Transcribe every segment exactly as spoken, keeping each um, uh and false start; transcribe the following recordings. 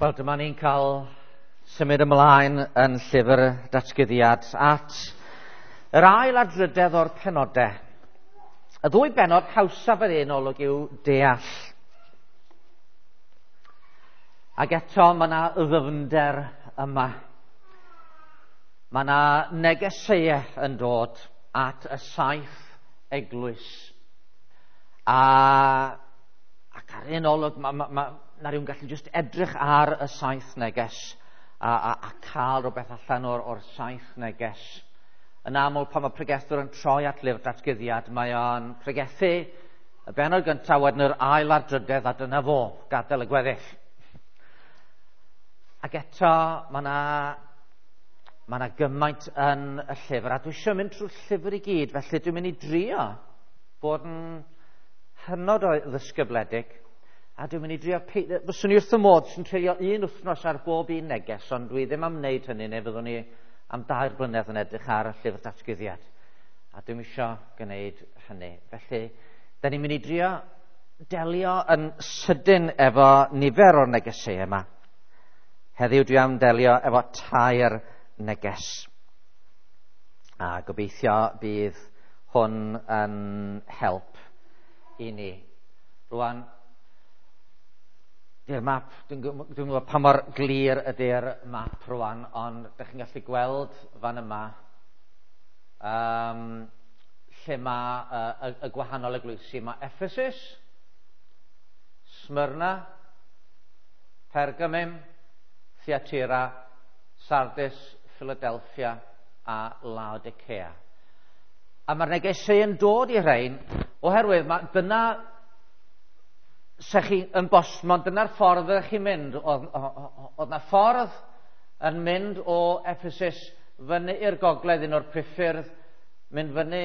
Wel, dyma ni'n cael symud ymlaen yn llyfr Datguddiad at yr ail a'r drydedd o'r penodau. Y ddwy bennod hawsaf yr un olwg yw deall. Ac eto mae yna ddyfnder yma. Mae yna negeseuau yn dod at y saith eglwys. A, ac ar un olwg mae, ma, ma, na rhywun gallu just edrych ar y saith neges a, a, a cael rhywbeth allan o'r, o'r saith neges. Yn aml pan mae pregethwr yn troi at lyfr Datguddiad, mae o'n pregethu y bennod gyntaf, wedyn yr ail a'r drydedd, a dyna fo, gadael y gweddill. Ac eto, mae yna mae yna gymaint yn y llyfr, a dwi eisiau mynd trwy'r llyfr i gyd, felly dwi'n mynd i drio bod yn hynod o ddisgybledig. A dwi'n mynd i drio... Fyswn i wrth y modd sy'n treulio un wythnos ar bob un neges, ond dwi ddim am wneud hynny, neu fyddwn ni am dair blynedd yn edrych ar y llyfr Datguddiad. A dwi'm isio gwneud hynny. Felly, da ni'n mynd i drio delio yn sydyn efo nifer o'r negesau yma. Heddiw dwi am delio efo tair neges. A gobeithio bydd hwn yn help i ni. Rwan, di'r map, dwi'n dwi gwybod pa mor glir ydy'r map rwan, ond ydych chi'n gallu gweld fan yma um, lle mae uh, y, y gwahanol eglwysi. Mae Ephesus, Smyrna, Pergamum, Thyatira, Sardis, Philadelphia a Laodicea. A mae'r negesau yn dod i rhain oherwydd mae dyna se chi yn bosmon, dyna'r ffordd ydych chi'n mynd. Oedd, oedd na ffordd yn mynd o Ephesus fyny i'r gogledd, un o'r priffyrdd, mynd fyny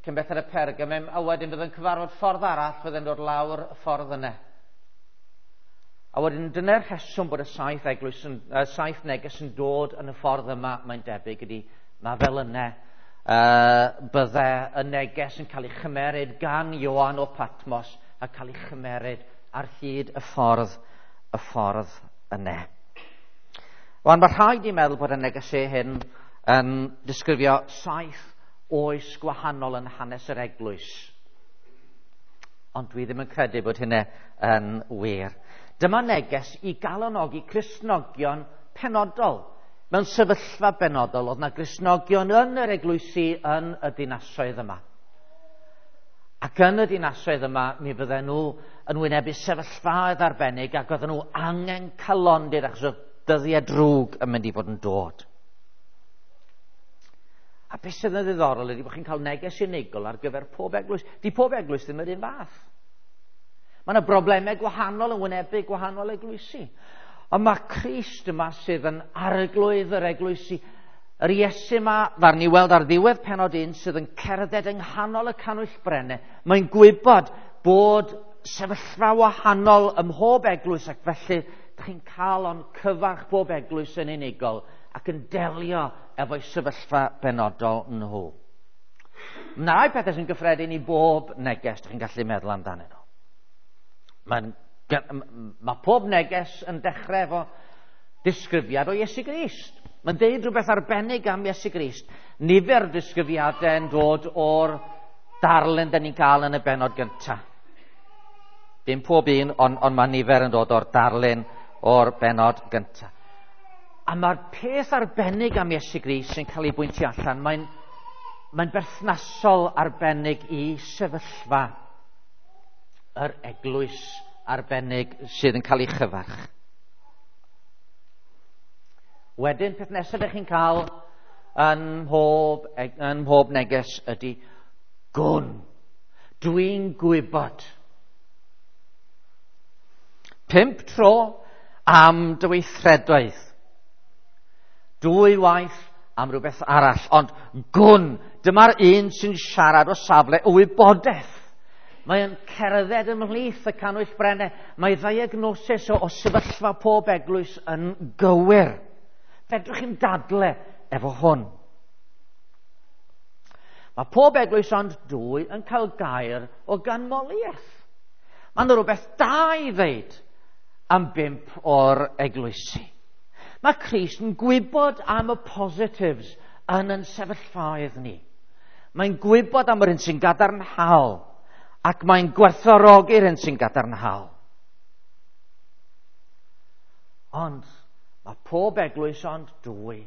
cyn belled y Pergamum, a wedyn fydd yn cyfarfod ffordd arall, fydd yn dod lawr y ffordd yna. A wedyn dyna'r rheswm bod y saith eglwys yn, uh, saith neges yn dod yn y ffordd yma, mae'n debyg ydy, mae fel yna uh, bydde y neges yn cael ei chymeryd gan Ioan o Patmos a cael ei chymeryd ar hyd y ffordd, y ffordd yna. Wan, mae rhaid i meddwl bod y negesau hyn yn disgrifio saith oes gwahanol yn hanes yr eglwys. Ond dwi ddim yn credu bod hynny yn wir. Dyma neges i galonogi Cristnogion penodol. Mewn sefyllfa benodol, oedd na Gristnogion yn yr eglwysi yn y dinasoedd yma. Ac yn y dinasoedd yma, mi fydden nhw yn wynebu sefyllfaoedd arbennig ac oedden nhw angen calondid achos oedd dyddiau drwg yn mynd i fod yn dod. A beth sydd yn ddiddorol ydy bod chi'n cael neges unigol ar gyfer pob eglwys. Di pob eglwys ddim yr un fath. Mae yna broblemau gwahanol yn wynebu gwahanol eglwysi. Ond mae Crist yma sydd yn arglwydd yr eglwysi. Yr Iesu yma, far ni weld ar ddiwedd pennod un, sydd yn cerdded yng nghanol y canwyll brennau. Mae'n gwybod bod sefyllfa wahanol ym mhob eglwys, ac felly dych chi'n cael o'n cyfarch bob eglwys yn unigol ac yn delio efo'i sefyllfa benodol nhw. Mae rai pethau sy'n gyffredin i bob neges dych chi'n gallu meddwl amdanyn nhw. Mae'n, mae pob neges yn dechrau efo disgrifiad o Iesu Grist. Mae'n deud rhywbeth arbennig am Iesu Grist. Nifer o disgrifiadau yn dod o'r darlun da ni'n cael yn y bennod gyntaf. Dim pob un, ond, ond mae nifer yn dod o'r darlun o'r bennod gyntaf. A mae'r peth arbennig am Iesu Grist sy'n cael ei bwyntio allan, mae'n, mae'n berthnasol arbennig i sefyllfa yr eglwys arbennig sydd yn cael ei chyfarch. Wedyn, peth nesaf ydych chi'n cael yn mhob, yn mhob neges ydy gwn. Dwi'n gwybod. Pump tro am dy weithredoedd. Dwy waith am rhywbeth arall. Ond gwn, dyma'r un sy'n siarad o safle o wybodaeth. Mae'n cerdded ymhlith y canwyll brennau. Mae ddiagnosis o, o sefyllfa pob eglwys yn gywir. Fedrwch chi'n dadle efo hwn. Mae pob eglwys ond dwy yn cael gair o ganmoliaeth. Mae yna rhywbeth da i ddeud am bump o'r eglwysi. Mae Crist yn gwybod am y positives yn yn sefyllfaoedd ni. Mae'n gwybod am yr hyn sy'n gadarnhaol ac mae'n gwerthfawrogi'r hyn sy'n gadarnhaol. Ond mae pob eglwys ond dwy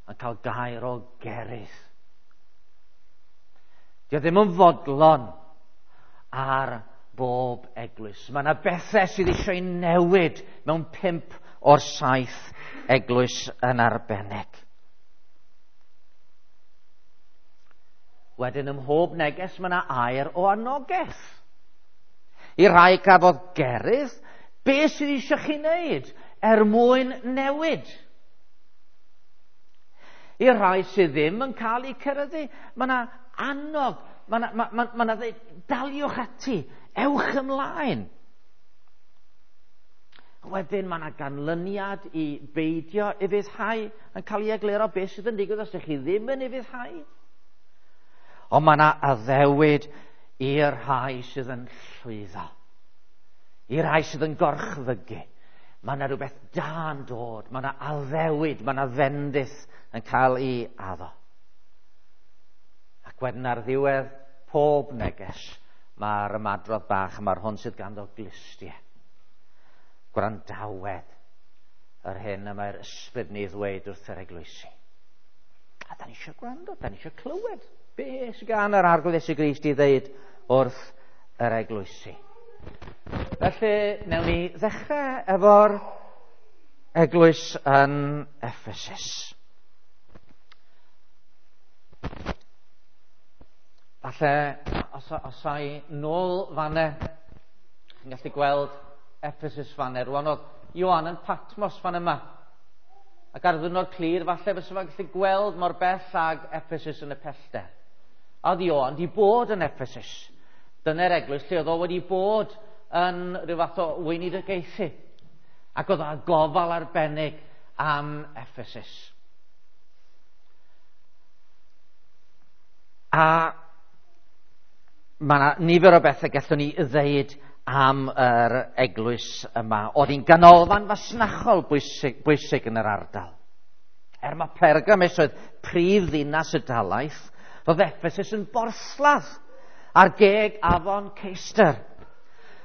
yn cael gair o gerydd. Dio ddim yn fodlon ar bob eglwys. Mae yna bethau sydd eisiau newid mewn pump o'r saith eglwys yn arbennig. Wedyn ym mhob neges mae yna air o anogaeth. I rai gafodd gerydd, be sydd eisiau chi wneud er mwyn newid? I rai sydd ddim yn cael eu ceryddu, mae yna annog, mae yna, ma, ma, ma yna ddeud, daliwch ati, ewch ymlaen. Wedyn mae yna ganlyniad i beidio ufuddhau yn cael ei egluro beth sydd yn digwydd os ydych chi ddim yn ufuddhau. Ond mae yna addewid i'r rhai sydd yn llwyddo, i'r rhai sydd yn gorchfygu. Mae yna rhywbeth da'n dod, mae yna addewid, mae yna fendith yn cael ei addo. Ac wedyn ar ddiwedd pob neges, mae'r ymadrodd bach, mae'r hwn sydd ganddo glustiau. Gwrandawed yr hyn y mae'r ysbryd ni ddweud wrth yr eglwysi. A da ni eisiau gwrando, da ni eisiau clywed be sydd gan yr Arglwydd Iesu Grist i ddeud wrth yr eglwysi. Felly, newn ni ddechrau efo'r eglwys yn Ephesus. Falle, os, os ai nôl fanne, chi'n gallu gweld Ephesus fanne. Rwan oedd Ioan yn Patmos fan yma. Ac ar ddwrnod clir, falle fysa fo'n gallu gweld mor bell ag Ephesus yn y pellter. A oedd Ioan di bod yn Ephesus. Dyna'r eglwys lle oedd o wedi bod yn rhyw fath o weinidogaethu. Ac oedd o gofal arbennig am Ephesus. A mae yna nifer o bethau gallwn ni ddeud am yr eglwys yma. Oedd hi'n ganolfan fasnachol bwysig, bwysig yn yr ardal. Er mae Pergamus oedd prif ddinas y dalaith, roedd Ephesus yn borthladd ar geg afon Ceister.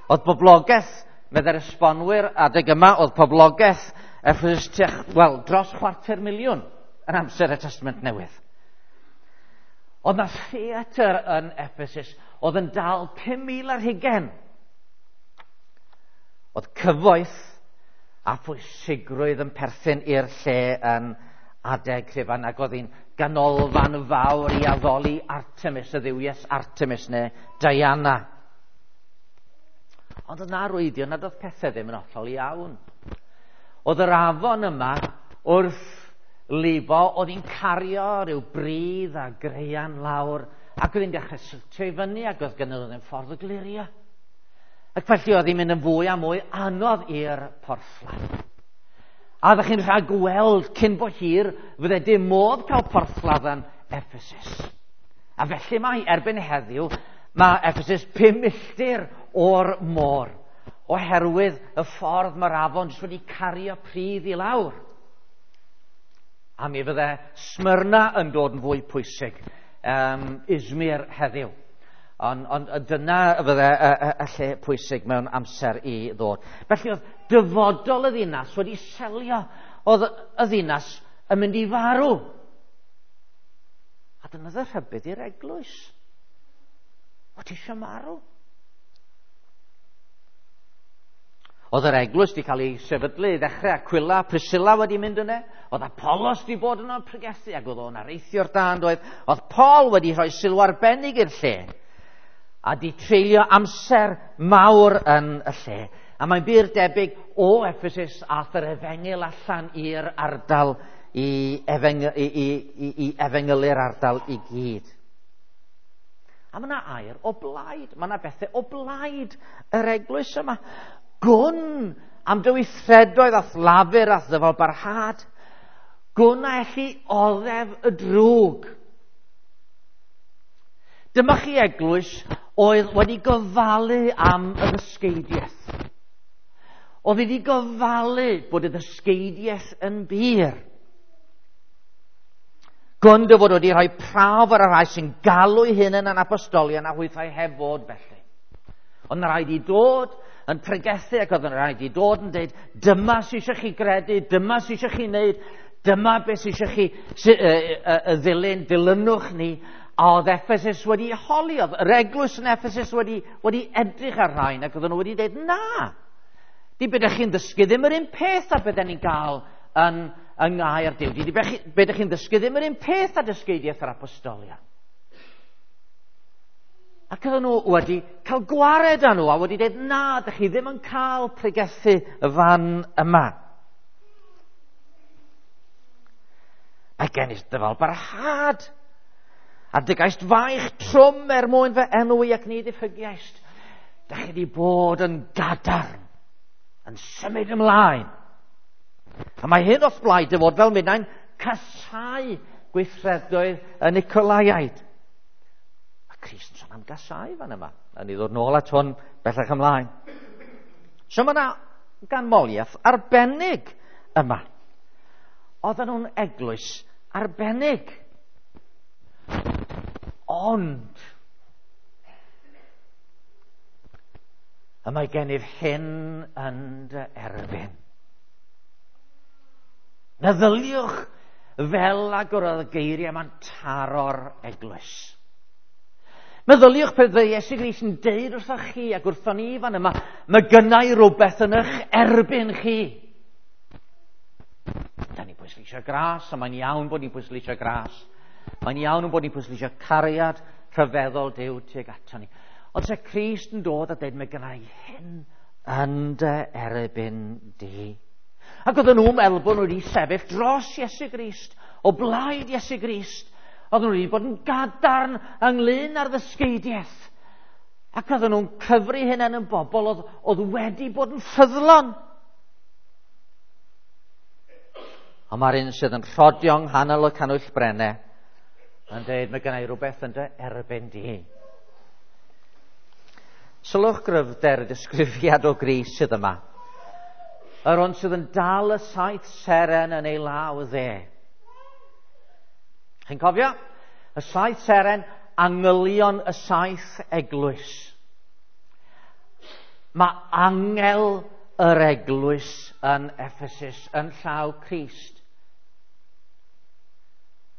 Oedd boblogaeth, meddai'r esbonwyr adeg yma, oedd poblogaeth Ephesus tua, wel, dros chwarter miliwn yn amser y Testament Newydd. Oedd na theatr yn Ephesus oedd yn dal pum mil ar hugain. Oedd cyfoeth a phwysigrwydd yn perthyn i'r lle yn adeg Rhufain, ac oedd hi'n ganolfan fawr i addoli Artemis, y dduwies Artemis neu Diana. Ond oedd na arwyddion nad oedd pethau ddim yn hollol iawn. Oedd yr afon yma wrth lifo, oedd hi'n cario rhyw bridd a graean lawr, ac oedd hi'n dechrau siltio i fyny, ac oedd gynnu ddim ffordd o glirio. Ac felly oedd hi'n mynd yn fwy a mwy anodd i'r porthladd. A ddech chi'n rhagweld cyn bo hir fydde dim modd cael porthladd yn Ephesus. A felly mae erbyn heddiw, mae Ephesus pum milltir o'r môr, oherwydd y ffordd mae'r afon jyst wedi cario pridd i lawr. A mi fydde Smyrna yn dod yn fwy pwysig, um, Izmir heddiw. Ond on, dyna fydde y, y, y lle pwysig mewn amser i ddod. Felly oedd dyfodol y ddinas wedi selio, oedd y ddinas yn mynd i farw. A dyna oedd y rhybudd i'r eglwys. O, ti eisiau marw? Oedd yr eglwys wedi cael ei sefydlu i ddechrau, Aquila, Priscilla wedi mynd yna. Oedd Apollos wedi bod yno'n pregethu, ac oedd o'n areithio'r da yn doedd. Oedd Paul wedi rhoi sylw arbennig i'r lle, a di treulio amser mawr yn y lle. A mae'n bur debyg o Ephesus ath yr efengyl allan i'r ardal i, efeng, i, i, i, i efengylu'r ardal i gyd. A mae yna air o blaid, mae yna bethau o blaid yr eglwys yma. Gwn am dy weithredoedd a'th lafur a'th ddyfal barhad. Gwn a elli oddef y drwg. Dyma chi eglwys oedd wedi gofalu am y ddysgeidiaeth. Oedd wedi gofalu bod y ddysgeidiaeth yn bur. Gwn dy fod wedi rhoi prawf ar y rhai sy'n galw eu hunain yn apostolion a hwythau heb fod felly. Ond rhaid i dod yn pregethu ac oedd yn rhaid i dod yn dweud, dyma sy'n eisiau chi gredu, dyma sy'n eisiau chi wneud, dyma beth sy'n eisiau chi sy, y, y, y ddilyn, dilynwch ni. A oedd Ephesus wedi holi, oedd yr eglwys yn Ephesus wedi, wedi edrych ar rhain ac oedden nhw wedi dweud, na, di beth ydych chi'n ddysgu ddim yr un peth a beth ni'n gael yn, yng ngair Duw. Di beth ydych chi'n ddysgu ddim yr un peth a dysgeidiaeth yr apostolion. Ac oedden nhw wedi cael gwared â nhw a wedi dweud, na, ydych chi ddim yn cael pregethu y fan yma. Mae gen i ddyfal barhad. A dygaist faich trwm er mwyn fy enw i ac ni ddiffygiaist. Dych chi wedi bod yn gadarn, yn symud ymlaen. A mae hyn o'th blaid dy fod fel minnau'n casau gweithredoedd y Nicolaiaid. Mae Crist yn sôn am gasau fan yma. A ni ddod nôl at hwn bellach ymlaen. So mae yna ganmoliaeth arbennig yma. Oedden nhw'n eglwys arbennig. Ond, y mae gennyf hyn yn dy erbyn. Meddyliwch fel ag oedd y geiriau yma'n taro'r eglwys. Meddyliwch pe bydde Iesu Grist yn deud wrthoch chi ac wrthon ni fan yma, mae gynna i rhywbeth yn eich erbyn chi. Da ni'n pwysleisio gras, a mae'n iawn bod ni'n pwysleisio gras. Mae'n iawn bod ni'n pwysleisio cariad rhyfeddol Duw tuag ato ni. Ond se Crist yn dod a dweud, mae gynna i hyn yn dy erbyn di. Ac oedden nhw'n meddwl bod nhw wedi sefyll dros Iesu Grist, o blaid Iesu Grist. Oedden nhw wedi bod yn gadarn ynglyn â'r ddysgeidiaeth. Ac oedden nhw'n cyfri hunain yn bobl oedd, oedd wedi bod yn ffyddlon. Ond mae'r un sydd yn rhodio yng nghanol y canwyll brennau yn dweud, mae gynna i rhywbeth yn dy erbyn di. Sylwch gryfder y disgrifiad o Grist sydd yma. Yr un sydd yn dal y saith seren yn ei law dde. Chi'n cofio? Y saith seren, angylion y saith eglwys. Mae angel yr eglwys yn Ephesus yn llaw Crist.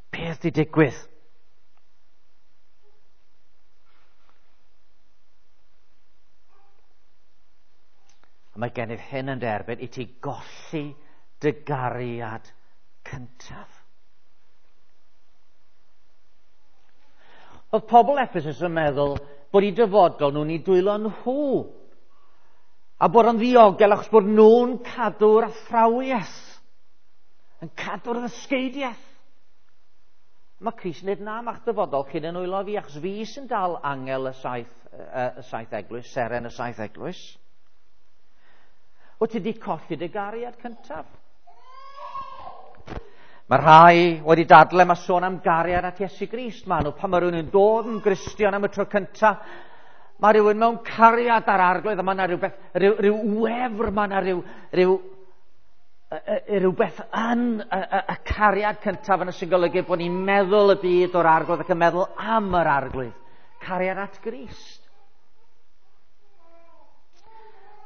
Beth di digwydd? Mae gennyf hyn yn derbyn i ti golli dy gariad cyntaf. Oedd pobl Ephesus yn meddwl bod eu dyfodol nhw'n eu dwylo nhw a bod yn ddiogel achos bod nhw'n cadw'r athrawiaeth, yn cadw'r ddysgeidiaeth. Mae Crist yn dweud, na, ma'ch dyfodol chi'n yn nwylo fi, achos fi sy'n dal angel y saith, y saith eglwys, seren y saith eglwys. Wyt ti wedi colli dy gariad cyntaf? Mae rhai wedi dadle, mae sôn am gariad at Iesu Grist. Maen nhw, pan mae rhywun yn dod yn Gristion am y tro cyntaf, mae rhywun mewn cariad ar Arglwydd, a mae yna rhywbeth, rhyw, rhyw wefr, mae yna rhyw, rhyw, rhywbeth yn y, y, y cariad cyntaf yna sy'n golygu bod ni'n meddwl y byd o'r Arglwydd ac yn meddwl am yr Arglwydd. Cariad at Grist.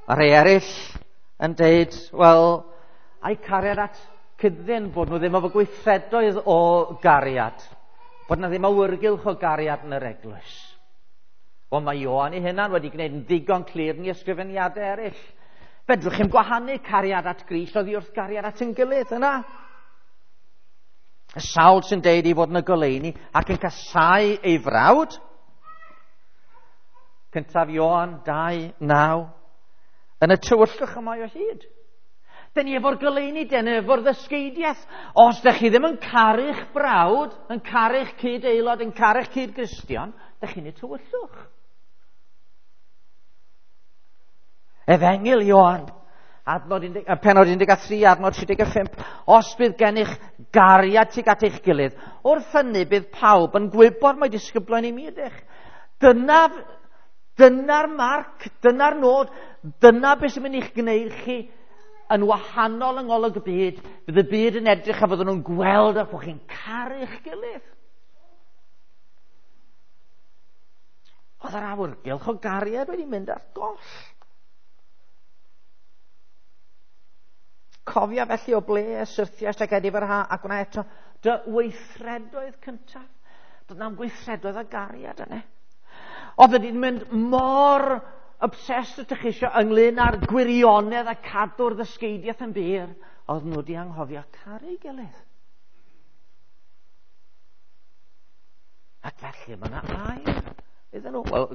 Mae rhai eraill yn deud, wel, ai cariad at cyddyn bod nhw ddim efo gweithredoedd o gariad, bod yna ddim awyrgylch o gariad yn yr eglwys. Wel, mae Ioan ei hunan wedi gwneud yn ddigon clir yn ei ysgrifeniadau eraill. Fedrwch chi'm gwahanu cariad at Grist oddi wrth gariad at ein gilydd yna. Y sawl sy'n deud ei fod yn y goleuni ac yn casáu ei frawd. Cyntaf Ioan dau naw. Yn y tywyllwch y mae o hyd. Dyn ni efo'r goleuni, dyn ni efo'r ddysgeidiaeth. Os dych chi ddim yn caru'ch brawd, yn caru'ch cyd-aelod, yn caru'ch cyd-Gristion, dych chi'n y tywyllwch. Efengyl Ioan, adnod undeg, pennod un deg tri, adnod tri deg pump. Os bydd gennych gariad tuag at eich gilydd, wrth hynny bydd pawb yn gwybod mai disgyblion i mi ydych. Dyna Dyna'r marc, dyna'r nod, dyna beth sy'n mynd i'ch gwneud chi yn wahanol yng ngolwg y byd. Bydd y byd yn edrych a fydden nhw'n gweld eich bod chi'n caru'ch gilydd. Oedd yr awyrgylch o gariad wedi mynd ar goll. Cofia felly o ble y syrthiaist ac edifarha a gwna eto dy weithredoedd cyntaf. Doedd na'm gweithredoedd o gariad yna. Oedd wedi'n mynd mor obsessed ydych chi eisiau ynglyn â'r gwirionedd a cadw'r ddysgeidiaeth yn bur, oedd nhw wedi anghofio caru gilydd. Ac felly mae yna air iddyn nhw. Wel,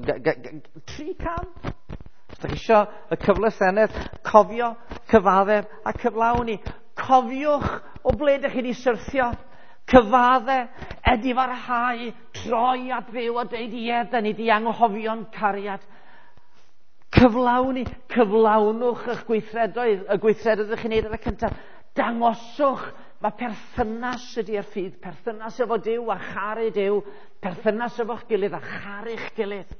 tri cam. Os ydych chi eisiau y cyfle senedd, cofio, cyfaddef a cyflawni. Cofiwch o ble ydych chi wedi syrthio. Cyfadde, edifarhau, troi at Dduw a deud ie, da ni di anghofio'n cariad. Cyflawni, cyflawnwch eich gweithredoedd, y gweithredoedd ydych chi'n neud ar y cyntaf. Dangoswch, mae perthynas ydy'r ffydd, perthynas efo Duw a charu Duw, perthynas efo'ch gilydd a charu'ch gilydd.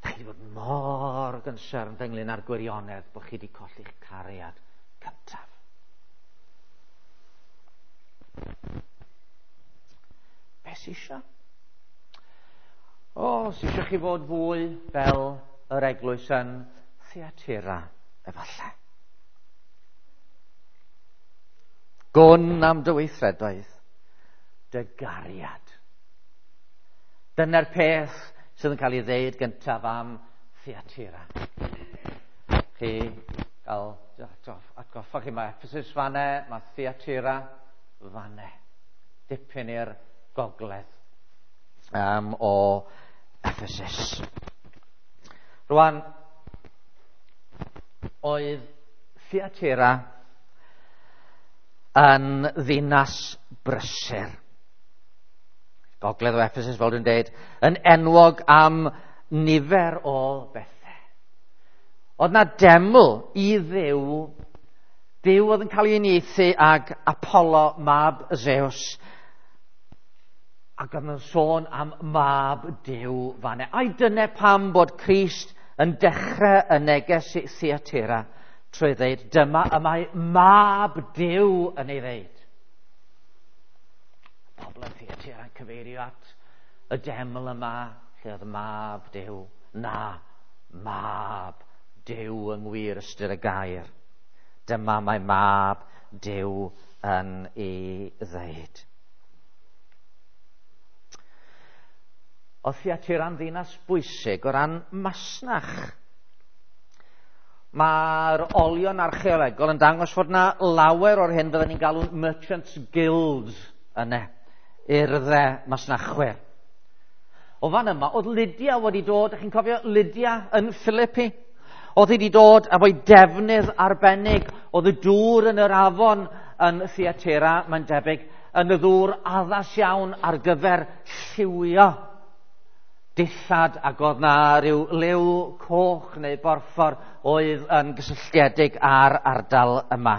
Da chi wedi bod mor concerned ynglyn â'r gwirionedd bod chi wedi colli'ch cariad cyntaf. Be sy isio? O, sy isio chi fod fwy fel yr eglwys yn Thyatira, efallai. Gwn am dy weithredoedd, dy gariad. Dyna'r peth sydd yn cael ei ddeud gyntaf am Thyatira. Chi gael atgoffa chi, mae Ephesus fanne, mae Thyatira fanne. Dipyn i'r gogledd um, o Ephesus. Rwan, oedd Thyatira yn ddinas brysur. Gogledd o Ephesus, fel dwi'n deud, yn enwog am nifer o bethau. Oedd na deml i Dduw, Duw oedd yn cael ei uniaethu ag Apollo, mab Zeus, ac oedd yn sôn am mab Duw fanne. Ai dyna pam bod Crist yn dechrau y neges i Thyatira trwy ddeud, dyma y mae mab Duw yn ei ddeud. Pobl yn Thyatira yn cyfeirio at y deml yma, lle oedd mab Duw. Na, mab Duw yng ngwir ystyr y gair. Dyma mae mab Duw yn ei ddeud. Oedd Thyatira'n ddinas bwysig o ran masnach. Mae'r olion archeolegol yn dangos fod na lawer o'r hyn fydden ni'n galw'n Merchants Guilds yna, urddau masnachwyr. O fan yma, oedd Lydia wedi dod, ych chi'n cofio Lydia yn Philippi? Oedd hi wedi dod efo'i defnydd arbennig, oedd y dŵr yn yr afon yn Thyatira, mae'n debyg, yn y ddŵr addas iawn ar gyfer lliwio dillad, ac oedd na rhyw liw coch neu borffor oedd yn gysylltiedig â'r ardal yma.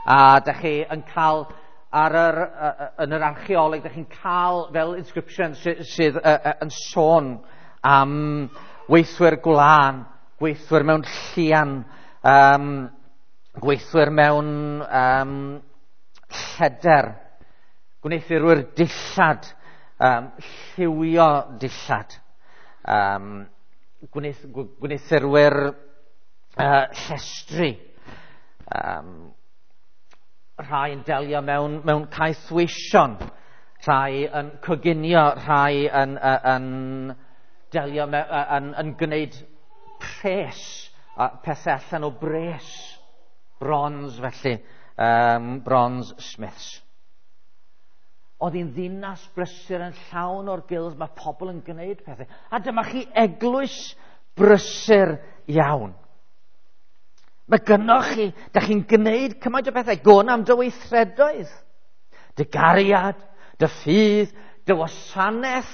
A dych chi yn cael ar yr, yn yr archeoleg, dych chi'n cael fel inscription sydd, sydd yn sôn am weithwyr gwlân, gweithwyr mewn llian, um, gweithwyr mewn um, lleder, gwneuthurwyr dillad, Um, lliwio dillad, um, gwneuthurwyr uh, llestri, um, rhai yn delio mewn, mewn caethweision, rhai yn coginio, rhai yn, uh, yn delio me, uh, yn, yn gwneud pres, uh, pethau allan o bres, bronze felly, um, bronze smiths. Oedd hi'n ddinas brysur yn llawn o'r guilds, mae pobl yn gwneud pethau. A dyma chi eglwys brysur iawn. Mae gynnoch chi, da chi'n gwneud cymaint o bethau, gwn am dy weithredoedd, dy gariad, dy ffydd, dy wasanaeth.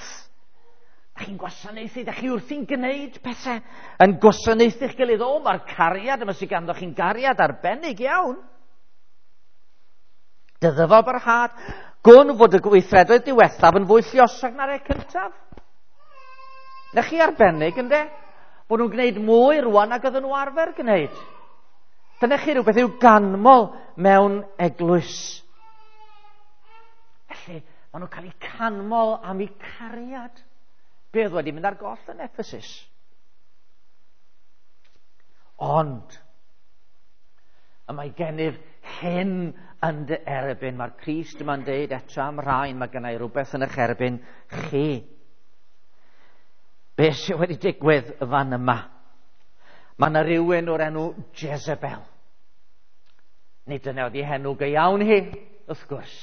Da chi'n gwasanaethu, da chi wrthi'n gwneud pethau, yn gwasanaethu'ch gilydd. O, mae'r cariad yma sydd ganddo chi'n gariad arbennig iawn. Dy ddyfal barhad, Gwn fod y gweithredoedd diwethaf yn fwy lluosog na'r rhai cyntaf. Na chi arbennig, ynde? Bod nhw'n gwneud mwy rwan nag oedden nhw arfer gwneud. Dyna chi rhywbeth i'w ganmol mewn eglwys. Felly, maen nhw'n cael eu canmol am eu cariad. Be oedd wedi mynd ar goll yn Ephesus? Ond, y mae gennyf hyn yn dy erbyn. Mae'r Crist yma'n deud eto am rhain, mae gennau rhywbeth yn eich erbyn chi. Be sydd wedi digwydd y fan yma? Mae yna rhywun o'r enw Jezebel. Nid dyna oedd ei henw go iawn hi, wrth gwrs.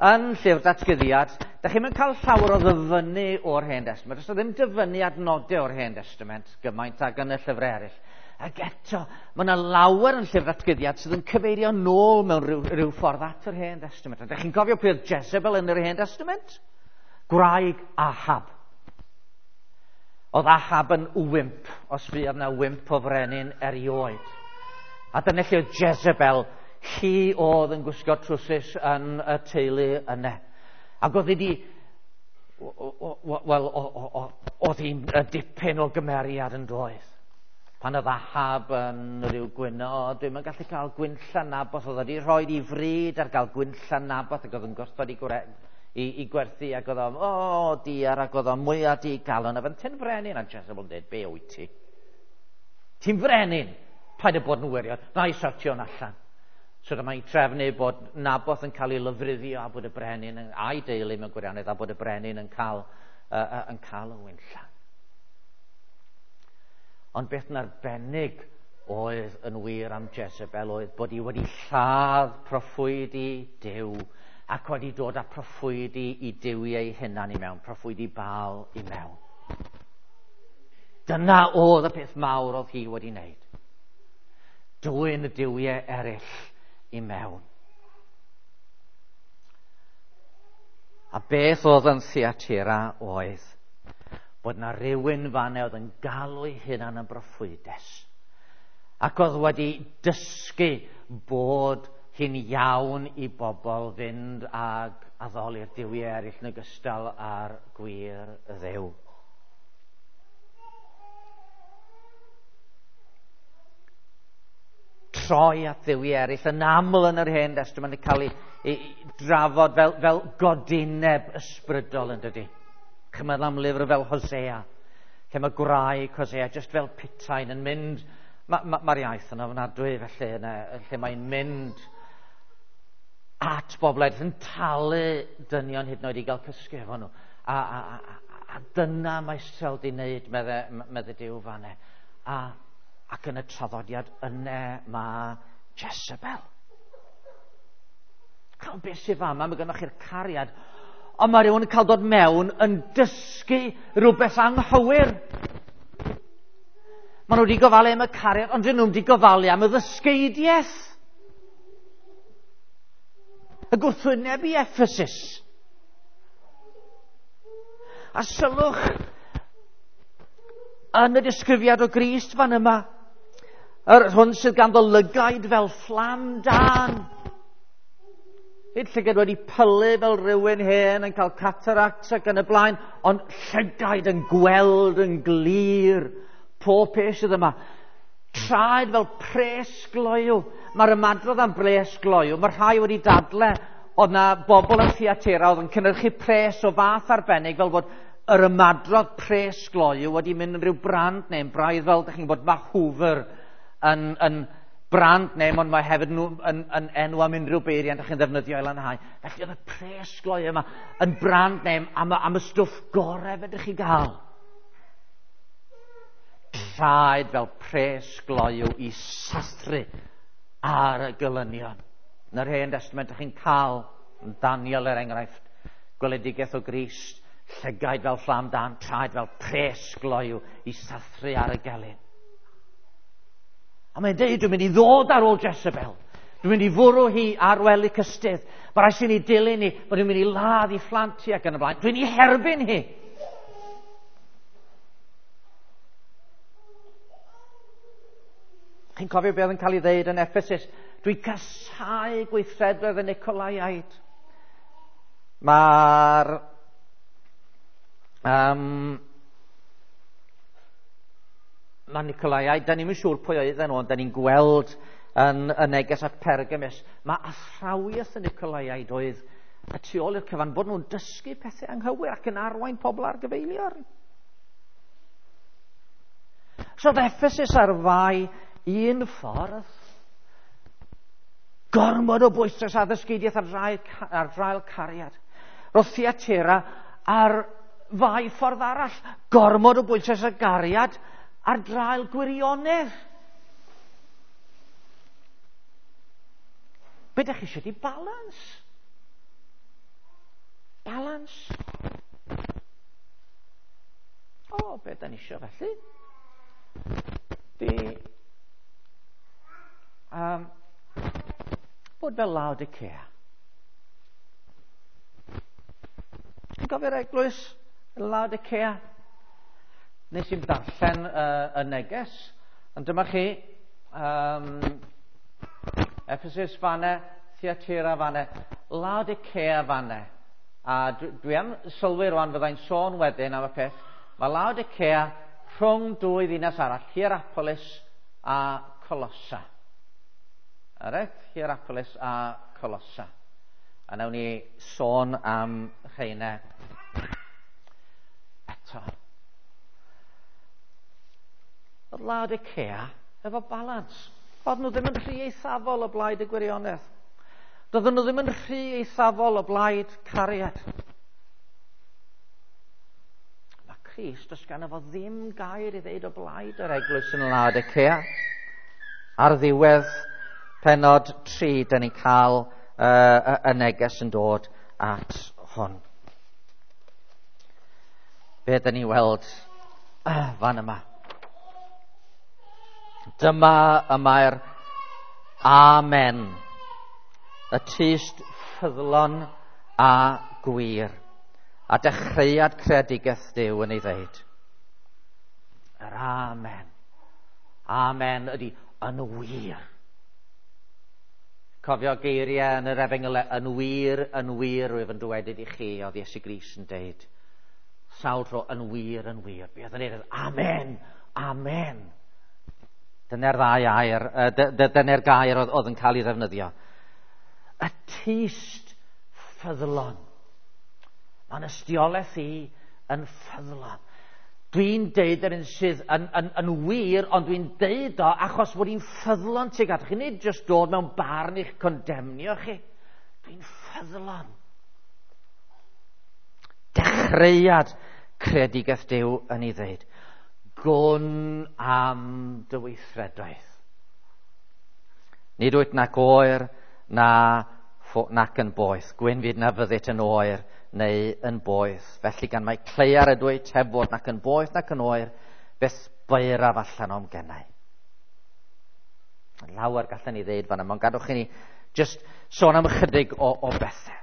Yn llyfr Datguddiad, da chi'm yn cael llawer o ddyfynnu o'r Hen Destament. Does ddim dyfynnu adnodau o'r Hen Testament gymaint ag yn y llyfrau eraill. Ac eto, mae yna lawer yn llyfr Datguddiad sydd yn cyfeirio nôl mewn rhyw, rhyw ffordd at yr Hen Testament. A da chi'n cofio pwy oedd Jezebel yn yr Hen Testament? Gwraig Ahab. Oedd Ahab yn wymp, os fuodd yna wymp o frenin erioed. A dyna lle oedd Jezebel, hi oedd yn gwisgo trwsus yn y teulu yna. Ac oedd hi di, wel, oedd hi'n dipyn o gymeriad yn doedd. Pan oedd Ahab yn rhyw gwyno, dwi'm yn gallu cael gwynllan Naboth, oedd wedi rhoi i fryd ar gael gwynllan Naboth, ac oedd yn gwrthod i gwre, i, i gwerthu, ac oedd o'n, o, oh, diar, ac oedd o'n mwyaf di galon, a fe'n ti'n frenin, a Jezebel yn dweud, be wyt ti? Ti'n frenin? Paid â bod yn wirion, na i sortio'n allan. So dyma i trefnu bod Naboth yn cael ei lofruddio a bod y brenin, yn, a'i deulu mewn gwirionedd, a bod y brenin yn cael, uh, uh, yn cael y wynllan. Ond beth yn arbennig oedd yn wir am Jezebel oedd bod hi wedi lladd proffwydi Duw ac wedi dod â proffwydi i duwiau ei hunan i mewn, proffwydi Baal i mewn. Dyna oedd y peth mawr oedd hi wedi wneud. Dwyn y duwiau eraill i mewn. A beth oedd yn Thyatira oedd bod na rhywun fan'na oedd yn galw ei hunan yn broffwydes ac oedd wedi dysgu bod hi'n iawn i bobl fynd ag addoli'r duwiau eraill yn ogystal â'r gwir Dduw. Troi at dduwiau eraill yn aml yn yr Hen Destament yn cael ei, ei drafod fel, fel godineb ysbrydol, yn dydy. Chymryd am lyfr fel Hosea, lle mae gwraig Hosea just fel putain yn mynd, mae'r ma, ma iaith yn ofnadwy felly, yna, lle mae'n mynd at bobl eraill yn talu dynion hyd yn oed i gael cysgu efo nhw. A, a, a, a dyna mae Israel di wneud, medde, medde Duw fan'na. A, ac yn y traddodiad yna mae Jezebel. Cael beth sydd fama, mae gennych chi'r cariad, ond mae rhywun yn cael dod mewn yn dysgu rhywbeth anghywir. Maen nhw wedi gofalu am y cariad, ond dyn nhw'n wedi gofalu am y ddysgeidiaeth. Y gwrthwyneb i Ephesus. A sylwch yn y disgrifiad o Grist fan yma, yr hwn sydd ganddo lygaid fel fflam dân. Nid llygad wedi pylu fel rhywun hen yn cael cataracts ac yn y blaen, ond llygaid yn gweld yn glir pob peth sydd yma. Traed fel pres gloyw. Mae'r ymadrodd am bres gloyw, mae rhai wedi dadle oedd na bobl yn Thyatira oedd yn cynhyrchu pres o fath arbennig fel bod yr ymadrodd pres gloyw wedi mynd yn rhyw brand name, braidd fel, dych chi'n gwybod, mae Hoover yn, yn brand name, ond mae hefyd nhw yn, yn enw am unrhyw beiriant ydych chi'n ddefnyddio i lanhau. Felly oedd y pres gloyw yma yn brand name am, am y stwff gorau fedrwch chi gael. Traed fel pres gloyw i sathru ar y gelynion. Yn yr Hen Testament ydych chi'n cael Daniel er enghraifft, gweledigaeth o Grist, llygaid fel fflam dân, traed fel pres gloyw i sathru ar y gelyn. A mae'n deud, dwi'n mynd i ddod ar ôl Jezebel. Dwi'n mynd i fwrw hi ar wely cystudd. Mae rhaid sy'n ei dilyn hi, bod dwi'n mynd i ladd i phlant hi ac yn y blaen. Dwi'n ei herbyn hi. Chi'n cofio beth oedd yn cael ei ddeud yn Ephesus? Dwi'n casáu gweithredoedd y Nicolaiaid. Mae'r um, mae Nicolaiaid, da ni'm yn siŵr pwy oedden nhw, ond da ni'n gweld yn y neges at Pergamus, mae athrawiaeth y Nicolaiaid oedd y tu ôl i'r cyfan, bod nhw'n dysgu pethau anghywir ac yn arwain pobl ar gyfeiliorn. So oedd Ephesus ar fai un ffordd, gormod o bwyslais addysgeidiaeth ar draul, ar draul cariad. Roedd Thyatira ar fai ffordd arall, gormod o bwyslais ar gariad ar draul gwirionedd. Be ydych chi eisiau di balans? Balans. O, be da ni eisiau felly? Di um, bod fel Laodicea. Chi'n gofio'r eglwys Laodicea? Nes i'n darllen uh, y neges, ond dyma chi, um, Ephesus fanne, Thyatira fanne, Laodicea fanne. A dwi, dwi am sylwi rwan, fyddai'n sôn wedyn am y peth. Mae Laodicea rhwng dwy ddinas arall, Hierapolis a Colossa. Alright? Hierapolis a Colossa. A nawn ni sôn am rheina eto. Oedd Laodicea efo balans. Oedd nhw ddim yn rhy eithafol o blaid y gwirionedd. Doedden nhw ddim yn rhy eithafol o blaid cariad. Mae Crist, does ganddo fo ddim gair i ddeud o blaid yr eglwys yn Laodicea. Ar ddiwedd pennod tri, da ni'n cael uh, y neges yn dod at hwn. Be da ni'n weld uh, fan yma? Dyma y mae'r Amen, y tyst ffyddlon a gwir, a dechreuad creadigaeth Duw yn ei ddeud. Yr Amen. Amen ydy yn wir. Cofio geiriau yn yr Efengyl, yn wir, yn wir, rwyf yn dywedyd i chi, oedd Iesu Grist yn deud. Sawl tro, yn wir, yn wir. Be oedd yn deud? Amen, amen. Dyna'r ddau air, dyna'r gair oedd, oedd yn cael ei ddefnyddio. Y tyst ffyddlon. Mae'n ystiolaeth i yn ffyddlon. Dwi'n deud yr un sydd yn, yn, yn wir, ond dwi'n deud o achos bod i'n ffyddlon tuag atoch chi. Nid jyst dod mewn barn i'ch condemnio chi. Dwi'n ffyddlon. Dechreuad creadigaeth Duw yn ei ddeud. Gwn am dy weithredoedd. Nid wyt nac oer na nac yn boeth. Gwyn fyd na fyddit yn oer neu yn boeth. Felly gan mai cleiar ydw i, heb fod nac yn boeth nac yn oer, beth baeraf allan o'm gennau. Lawer gallen ni ddeud fan yma, ond gadwch i ni just sôn am ychydig o, o bethau.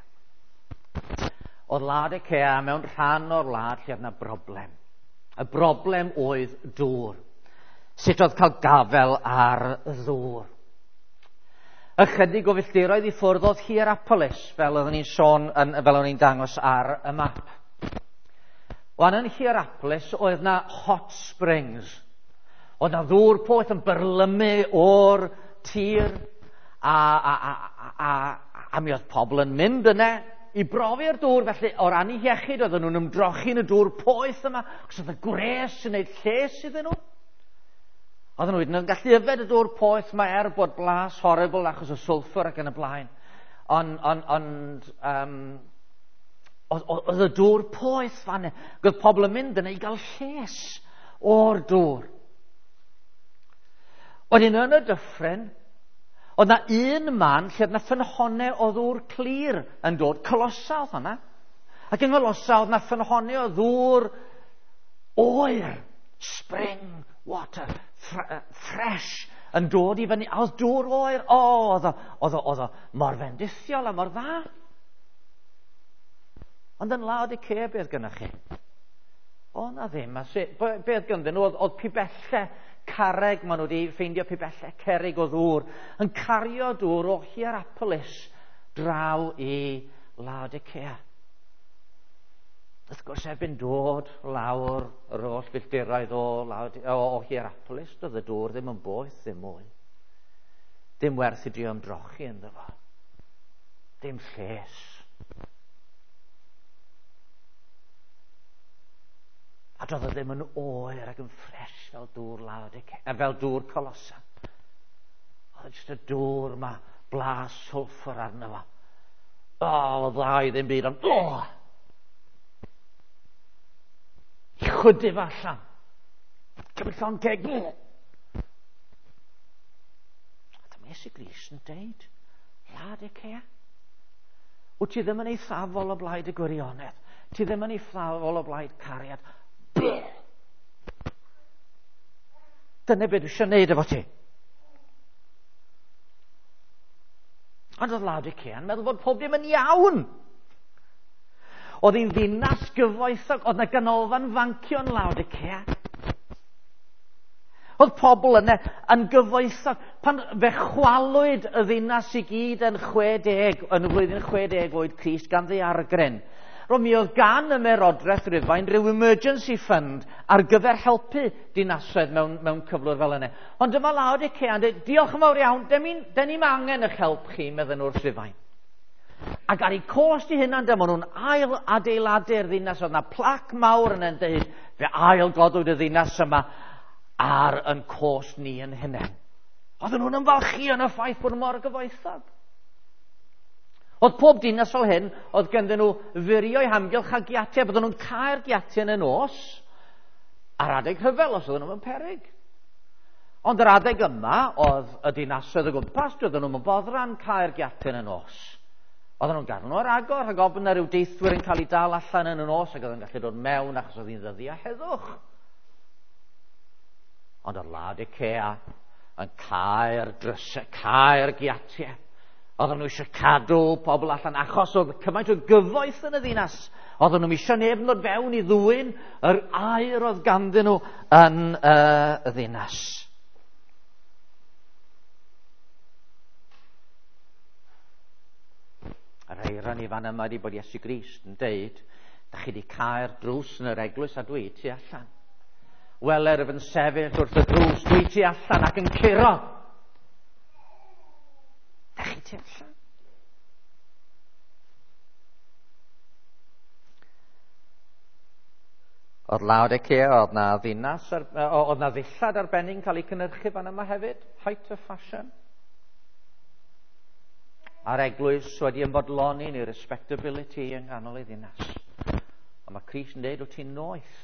Oedd Laodicea mewn rhan o'r wlad lle oedd yna broblem. Y broblem oedd dŵr. Sut oedd cael gafel ar ddŵr? Ychydig o filltiroedd i ffwrdd oedd Hierapolis, fel oeddwn ni'n sôn, yn, fel oeddwn ni'n dangos ar y map. Wan yn Hierapolis oedd na hot springs. Oedd na ddŵr poeth yn byrlymu o'r tir, a, a, a, a, a, a mi oedd pobl yn mynd yna i brofi'r dŵr. Felly o ran eu hiechyd oedden nhw'n ymdrochi yn y dŵr poeth yma, achos oedd y gwres yn gwneud lles iddyn nhw. Oedden nhw wedyn yn gallu yfed y dŵr poeth yma er bod blas horrible achos o sulfur ac yn y blaen. Ond on, on, um, oedd y dŵr poeth fan yna. Oedd pobl yn mynd yna i gael lles o'r dŵr. Wedyn yn y dyffryn, oedd na un man lle oedd na ffynhonnau o ddŵr clir yn dod. Colossa oedd hwnna. Ac yng Ngholossa oedd na ffynhonnau o ddŵr oer, spring water, fresh, yn dod i fyny. A oedd dŵr oer, o, oedd o, oedd o, oedd o mor fendithiol a mor dda. Ond yn Laodicea, beth gynnwch chi? O, na ddim. A se, beth ganddyn nhw? Oedd, oedd pibellau carreg, maen nhw wedi ffeindio pibellau cerrig o ddŵr, yn cario dŵr o Hierapolis draw i Laodicea. Wrth gwrs, erbyn dod lawr yr holl filltiroedd o, o, o Hierapolis, doedd y dŵr ddim yn boeth ddim mwy. Dim werth i drio ymdrochi ynddo fo. Dim lles. A doedd o ddim yn oer ac yn ffres fel dŵr Laodicea, fel dŵr Colossa. Oedd jyst y dŵr ma, blas sulfur arno fo. O, oedd dda i ddim byd, ond o! I chwydu fo allan. Cymryd llond ceg. A dyma Iesu Grist yn deud, Laodicea, wyt ti ddim yn eithafol o blaid y gwirionedd. Ti ddim yn eithafol o blaid cariad. Dyna beth dwi eisiau gwneud efo ti. Ond oedd Laodicea yn meddwl bod pob dim yn iawn. Oedd hi'n ddinas gyfoethog, oedd yna ganolfan fancio yn Laodicea. Oedd pobl yna yn gyfoethog. Pan fe chwalwyd y ddinas i gyd yn chwe deg, yn y flwyddyn chwe deg oed Crist gan ddaeargryn. Roedd mi oedd gan y Ymerodraeth Rufain rhyw emergency fund ar gyfer helpu dinasoedd mewn, mewn cyflwr fel yna. Ond dyma Laodicea yn dweud, diolch yn fawr iawn, den ni'm angen eich help chi, medden nhw wrth Rufain. Ac ar eu cost i hunan, dyma nhw'n ail adeiladu'r ddinas. Oedd yna plac mawr yn yn dweud, fe ail godwyd y ddinas yma ar yn cost ni yn hunain. Oedden nhw'n ymfalchïo yn y ffaith bod nhw mor gyfoethog. Oedd pob dinas fel hyn, oedd ganddyn nhw furio'u hamgylch a giatiau. Bydden nhw'n cau'r giatiau yn y nos ar adeg rhyfel os oedden nhw mewn peryg. Ond yr adeg yma, oedd y dinasoedd o gwmpas, doedden nhw'n boddran cau'r giatiau yn y nos. Oedden nhw'n gadw nhw ar agor, rhag ofn na ryw deithwyr yn cael eu dal allan yn y nos ac oedd yn gallu dod mewn achos oedd hi'n ddyddiau heddwch. Ond oedd Laodicea yn cau'r drysau, cau'r giatiau. Oedden nhw eisiau cadw pobl allan achos oedd cymaint o gyfoeth yn y ddinas. Oedden nhw'n eisiau neb yn dod fewn i ddwyn yr aur oedd ganddyn nhw yn uh, y ddinas. Yr eiron i fan yma ydi bod Iesu Grist yn deud, da chi wedi cau'r drws yn yr eglwys a dwi tu allan. Weler ef yn sefyll wrth y drws, dwi tu allan ac yn curo. Da chi tu allan. Oedd Laodicea, oedd na ddinas, oedd na ddillad arbennig yn cael ei cynhyrchu fan yma hefyd, height of fashion. A'r eglwys wedi ymfodloni yn ei respectability yng nghanol ei ddinas. A mae Crist yn dweud, wyt ti'n noeth.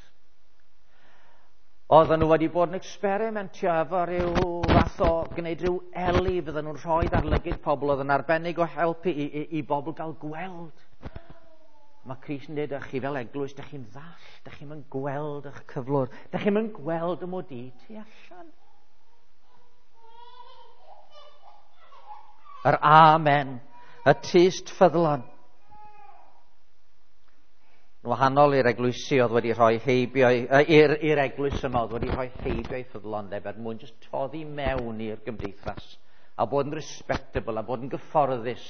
Oedden nhw wedi bod yn experimentio efo rhyw fath o gwneud rhyw eli fydden nhw'n rhoi ar lygid pobl oedd yn arbennig o helpu i, i, i bobl gael gweld. Mae Crist yn dweud, chi fel eglwys, dych chi'n ddall, dych chi'n mynd gweld eich cyflwr, dych chi'n mynd gweld y mod i tu allan. Yr amen, y tyst ffyddlon. Yn wahanol i'r eglwysi oedd wedi rhoi heibio, i'r, i'r eglwys yma oedd wedi rhoi heibio i ffyddlondeb er mwyn jyst toddi mewn i'r gymdeithas a bod yn respectable a bod yn gyfforddus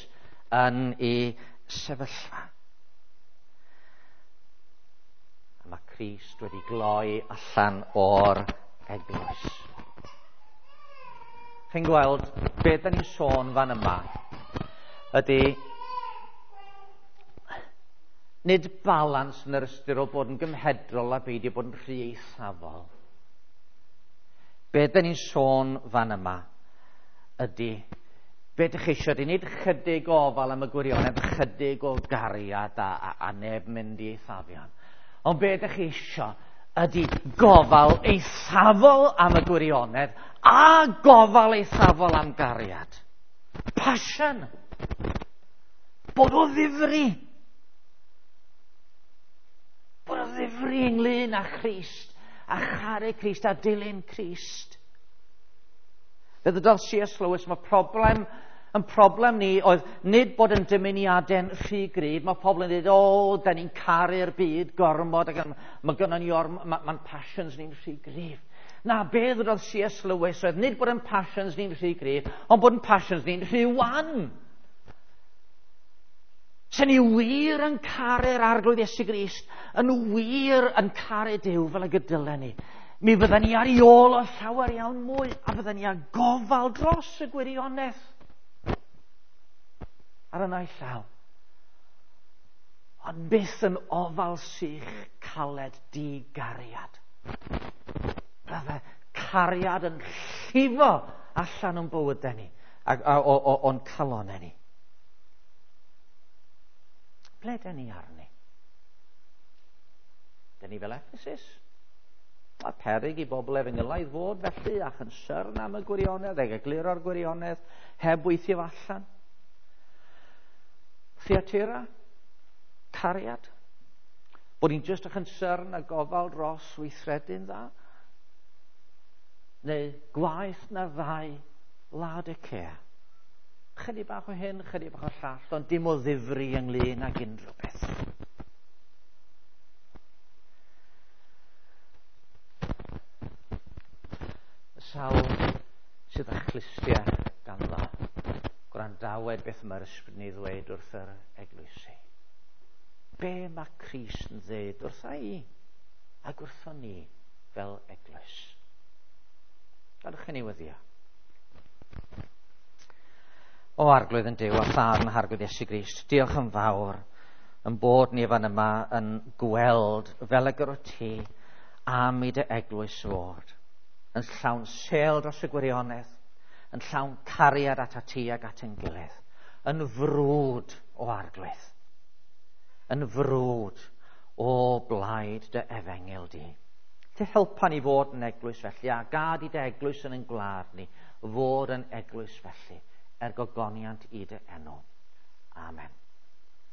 yn ei sefyllfa. A mae Crist wedi gloi allan o'r eglwys. Chi'n gweld beth da ni'n sôn fan yma ydy nid balans yn yr ystyr o bod yn gymhedrol a beidio bod yn rhy eithafol. Be da ni'n sôn fan yma ydy be dych chi eisiau ydy nid chydig o ofal am y gwirionedd, chydig o gariad a, a, a neb mynd i eithafion. Ond be dych chi eisiau ydy gofal eithafol am y gwirionedd a gofal eithafol am gariad. Passion. Bod o ddifri. Bod o ddifri ynglyn â Christ, a charu Crist, a dilyn Crist. Fe ddydodd C S Lewis, mae problem, yn problem ni oedd nid bod yn dymuniadau'n rhy gryf. Mae pobl yn dweud, o, da ni'n caru'r byd gormod, ac mae gynnon ni ormod, mae'n ma passions ni'n rhy gryf. Na, be ddydodd C S Lewis oedd nid bod yn passions ni'n rhy gryf, ond bod yn passions ni'n rhy wan. Sen ni wir yn caru'r Arglwydd Iesu Grist, yn wir yn caru Duw fel y gydylen ni, mi fydden ni ar ei ôl o llawer iawn mwy, a fydden ni â gofal dros y gwirionedd ar y naill llaw. Ond byth yn ofal sych caled di-gariad. Bydde cariad yn llifo allan o'n bywydau ni, a, a, o, o, o'n calonau ni. Ble den ni arni? Den ni fel Ephesus? Mae peryg i bobl efengylaidd fod felly a chynsyrn am y gwirionedd, ag egluro'r gwirionedd, heb weithio allan. Thyatira? Cariad? Bod ni'n jyst a chynsyrn a gofal dros weithredu'n dda? Neu gwaeth na ddau Laodicea? Chydig bach o hyn, chydig bach o llall, ond dim o ddifri ynglyn ag unrhyw beth. Y sawl sydd â chlustiau ganddo, gwrandawed beth mae'r Ysbryd yn ei ddweud wrth yr eglwysi. Be mae Crist yn ddweud wrtha i ac wrtho ni fel eglwys? Gadwch i ni weddïo. O Arglwydd yn Duw a Thad yn Harglwydd Iesu Grist, diolch yn fawr yn bod ni fan yma yn gweld fel y gyrwt ti am i dy eglwys fod, yn llawn sêl dros y gwirionedd, yn llawn cariad at ti ac at ein gilydd, yn frwd o Arglwydd, yn frwd o blaid dy efengyl di. Te helpa ni fod yn eglwys felly, a gad i dy eglwys yn ein gwlad ni fod yn eglwys felly, er gogoniant i dy enw. Amen.